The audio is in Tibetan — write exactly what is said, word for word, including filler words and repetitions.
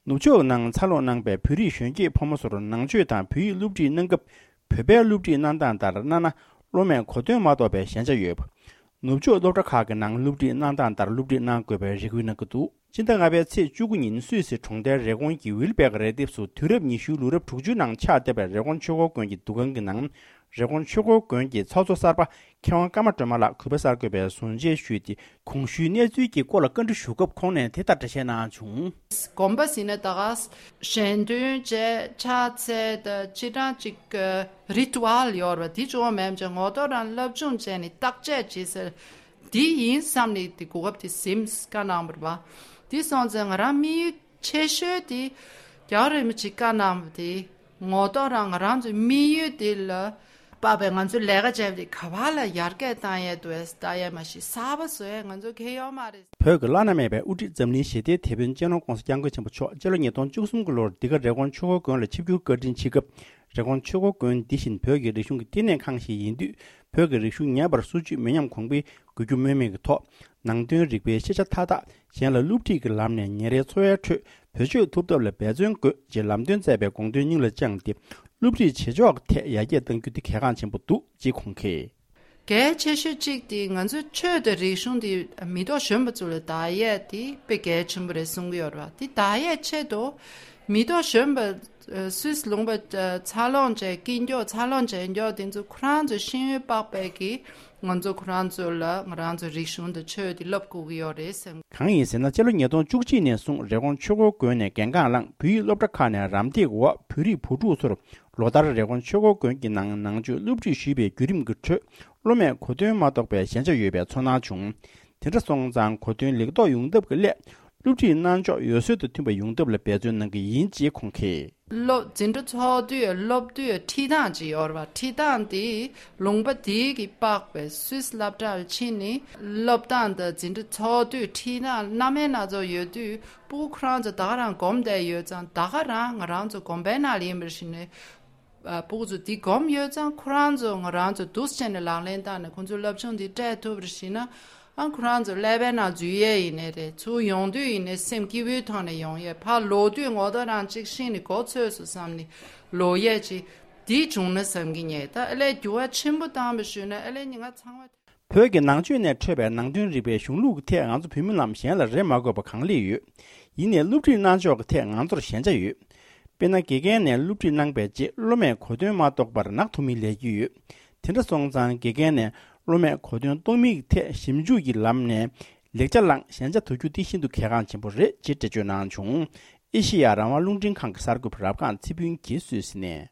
ནུབ་ཕྱོགས་ནང་འཚར་ལོངས་གནང་པའི་བོད་རིགས་གཞོན་སྐྱེས་ཕོ་མོ་ཚོར་ནང་ཆོས་དང་བོད་ཡིག་སློབ་ཁྲིད་གནང་སྐབས། བོད་པའི་སློབ་ཁྲིད་གནང་སྟངས་ལྟར་གནང་ན་སློབ་མས་གོ་དོན་མ་རྟོགས་པའི་ཞན་ཆ་ཡོད་པ། ནུབ་ཕྱོགས་སློབ་གྲྭ་ཁག་གི་ནང་སློབ་ཁྲིད་གནང་སྟངས་ལྟར་སློབ་ཁྲིད་གནང་དགོས་པའི་རེ་སྐུལ་གནང་གི་འདུག་སྤྱི་ཟླ་ལྔ་པའི་ཚེས་བཅུ་དགུ་ཉིན་སུད་སི་གྲོང་རྡལ་རེབ་གོང་གི་ཝིལ་བེག་རས་དེབ་སུ་དུས་རབས་ཉི་ཤུའི་ལོ་རབས་དྲུག་ཅུའི་ནང་ཆགས་བསྡད་པའི་རེབ་གོང་ཆོས་འཁོར་དགོན་གྱི་འདུ་ཁང་གི་ནང་། རེབ་གོང་ཆོས་འཁོར་དགོན་གྱི་ཚོགས་གཙོ་གསར་པ་མཁས་དབང་ཀརྨ་སྒྲོལ་མ་ལགས་གུས་པ་གསར་འགོད་པའི་ཟུར་མཇལ་ཞུས་ཏེ། གོང་ཞུས་གནས་ཚུལ་གྱི་སྐོར་ལ་བཀའ་འདྲི་ཞུ་སྐབས་ཁོང་ནས་དེ་ལྟར་འགྲེལ་བཤད་གནང་བྱུང་། དགོན་པ་ཟེར་ན་ད་ག་ཞལ་འདོན་བྱས་ཕྱག་འཚལ་དང་སྤྱིར་བཏང་ཅིག་རི་ཏུ་ཨལ་ཡོད་རེད་པ། དེ་ཅུང་མེད་ཅིང་ངོ་ཐོག་རང་སློབ་སྦྱོང་བྱས་ནས་བརྟག་དཔྱད་བྱེད་ཟེར། དེ་ཡིན་བསམ་ནས་དེ་གོ་སྐབས་དེ་ཟིན་བཀའ་གནང་བ་རེད་པ། དེ་སོང་ཙང་ང་རང་དམིགས་ཡུལ་ཆེ་ཤོས་དེ་རྒྱལ་བ་རིན་པོ་ཆེས་བཀའ་གནང་བ་དེ་ངོ་ཐོག་རང་ང་རང་ཚོའི་དམིགས་ཡུལ་དེ་ལ་དཔག་པའི་ང་ཚོའི་ལས་ཀ་བྱས་པ་དེ་ག་བ་ལ་ཡར་རྒྱས་བཏང་ཡས་འདུག་ལྟ་ཡས་མ་གཞི་གསར་པ་བཟོ་ཡས་ང་ཚོ་གལ་ཡོད་མ་རེད། བོད་ཀྱི་བླ་ན་མེད་པའི་དབུ་ཁྲིད་འཛམ་གླིང་ཞི་བདེའི་དེད་དཔོན་སྤྱི་ནོར་༸གོང་ས་༸སྐྱབས་མགོན་ཆེན་པོ་མཆོག་སྤྱི་ལོ་ཉིས་སྟོང་བཅུ་གསུམ་གྱི་ལོར་འདི་ག་རེབ་གོང་ཆོས་འཁོར་དགོན་ལ་ཆིབས་བསྒྱུར་བཀའ་དྲིན་ཆེ་སྐབས། རེབ་གོང་ཆོས་འཁོར་དགོན་འདི་བཞིན་བོད་ཀྱི་རིག་གཞུང་གི་བསྟི་གནས་ཁང་ཞིག་ཡིན་དུས། བོད་ཀྱི་རིག་གཞུང་ངེས་པར་སྲུང་སྐྱོབ་མི་ཉམས་གོང་འཕེལ་དགོས་རྒྱུ་སྨོས་མེད་ཀྱི་ཐོག་ནང་དོན་རིག་པའི་ཤེས་བྱ་མཐའ་དག་གཞན་ལ་སློབ་ཁྲིད་ཀྱི་ལམ་ནས་ཉིན་རེའི་འཚོ་བའི་ཁྲོད་བེད་སྤྱོད་ཐུབ་ཐབས་ལ་འབད་བརྩོན་དགོས་ཅེས་ལམ་སྟོན་མཛད་པའི་དགོངས་དོན་སྙིང་ལ་བཅངས་ཏེ། སློབ་ཁྲིད་བྱེད་ཕྱོགས་ཐད་ཡར་རྒྱས་གཏང་རྒྱུ་དེ་གལ་འགངས་ཆེན་པོ་འདུག་ཅེས་ཁོང་གིས། གལ་ཆེ་ཤོས་གཅིག་དེ་ང་ཚོའི་ཆོས་དང་རིག་གཞུང་དེ་མི་ཐོག་གཞོན་པ་ཚོ་ལ་བདག་ཡས་དེ་དཔེ་གལ་ཆེན་པོ་རེད་གསུང་གི་ཡོད་རེད་བ། དེ་བདག་ཡས་ཆེད་དུ་མི་ཐོག་གཞོན་པ་སུད་སི་ལུང་པ་འཚར་ལོངས་བྱས་སྐྱིད་མགྱོགས་འཚར་ལོངས་བྱས་མགྱོགས་དེ་ཚོ་ཁོ་རང་ཚོའི་ཤེས་ཡོན་དཔག་པའི་གི་ང་ཚོ་ཁོ་རང་ཚོ་ལ་ང་རང་ཚོའི་རིག་གཞུང་དང་ཆོས་དེ་བསླབ་དགོས་ཀྱི་ཡོད་རེད་བསམ། གང་ཡིན་ཟེར་ན་སྤྱི་ལོ་ཉིས་སྟོང་བཅུ་གཅིག་ནས་བཟུང་རེབ་གོང་ཆོས་འཁོར་དགོན་ནས་འགན་འཁྲི་བླངས་བོད་ཡིག་སློབ་གྲྭ་ཁག་ནས་རམ་འདེགས་འོག་བོད་རིགས་བུ་ཕྲུག་ཚོར་ལོ་ལྟར་རེབ་གོང་ཆོས་འཁོར་དགོན་གྱི་ནང་ནང་ཆོས་སློབ་ཁྲིད་ཞུས་པའི་བརྒྱུད་རིམ་གྱི་ཁྲོད་སློབ་མས་གོ་དོན་མ་རྟོགས་པའི་ཞན་ཆ་ཡོད་པའི་ཚོར་སྣང་བྱུང་། དེ་འདྲ་སོང་ཙང་གོ་དོན་ལེགས་རྟོགས་ཡོང་ཐབས་ཀྱི་སླད་སློབ་ཁྲིད་གནང་ཕྱོགས་འོད་ཟེར་དང་མཐུན་པ་ཡོང་ཐབས་ལ་འབད་བརྩོན་གནང་གི་ཡིན་ཅེས་ཁོང་གིས། སློབ་འཛིན་གྲྭ་ཚོགས་དུས་སློབ་དུས་ཁྲིད་སྟངས་ཅིག་ཡོད་རེད་བ། ཁྲིད་སྟངས་དེ་ལུང་པ་དེའི་གི་དཔག་པའི་སུད་སི་སློབ་གྲྭར་ཕྱིན་ནས་སློབ་སྟངས་དང་འཛིན་གྲྭ་ཚོགས་དུས་ཁྲིད་སྟངས་སྣ་མིན་སྣ་ཚོགས་ཡོད་དུས་སྤུ་གུ་ཁོ་རང་ཚོ་ད་ག་རང་སྒོམ་བསྡད་ཡོད་ཙང་ད་ག་རང་ང་རང་ཚོ་དགོན་པའི་ནང་ལ་ཡིན་པར་ཞིག་ནས་སྤུ་གུ་ཚོ་དེ་སྒོམ་ཡོད་ཙང་ཁོ་རང་ཚོ་ང་རང་ཚོ་འདུག་སེ་བྱས་ནས་ལག་ལེན་བསྟར་ནས་ཁོང་ཚོའི་སློབ་སྦྱོང་དེ་སྤྲད་ཐུབ་པར་ཞིག་ན། ཨ་ཁོ་རང་ཚོ་ཀླད་པའི་ནང་འཛུལ་ཡས་ཡིན་ནའི་རེད། ཚུར་ཡོང་དུས་ཡིན་ནའི་སེམས་སྐྱིད་པོའི་ཐོག་ནས་ཡོང་ཡས། ཕར་ལོག་དུས་ངོ་ཐོག་རང་གཅིག་ཤེས་ནས་གོ་ཚོད་སོང་བསམ་ནས་ལོག་ཡས་ཅིག་འདི་བྱུང་ན་བསམ་གྱི་ཉེ། ད་ཨ་ལས་འགྱུར་བ་ཆེན་པོ་བཏང་བ་ཞུས་ན་ཨ་ལས་ཉི་མ་ཚང་མ། བོད་ཀྱི་ནང་ཆོས་ནས་འཕྲོས་པའི་ནང་དོན་རིག་པའི་གཞུང་ལུགས་ཀྱི་ཐད་ང་ཚོ་བོད་མི་རྣམས་གཞན་ལ་རེ་མ་དགོས་པ་གང་ལེགས་ཡོད། ཡིན་ནའི་སློབ་ཁྲིད་གནང་ཕྱོགས་ཀྱི་ཐད་ང་ཚོར་ཞན་ཆ་ཡོད། དཔེར་ན་དགེ་རྒན་ནས་སློབ་ཁྲིད་གནང་པའི་རྗེས་སློབ་མས་གོ་དོན་མ་རྟོགས་པར་ནག་འཐུ་མིན་ལས་ཀྱི་ཡོད། དེ་འདྲ་སོང་ཙང་དགེ་རྒན་ནས་སློབ་མས་གོ་དོན་རྟོགས་མིན་གྱི་ཐད་ཞིབ་འཇུག་གི་ལམ་ནས་ལེགས་ཆ་བླངས་ཞན་ཆ་དོར་རྒྱུ་དེ་ཤིན་ཏུ་གལ་འགངས་ཆེན་པོ་རེད་ཅེས་འགྲེལ་བརྗོད་གནང་བྱུང་། ཨེ་ཤེ་ཡ་རང་དབང་རླུང་འཕྲིན་ཁང་གི་གསར་འགོད་པ་རབ་སྒང་ཚེ་ཕུན་གྱིས་སུད་སི་ནས།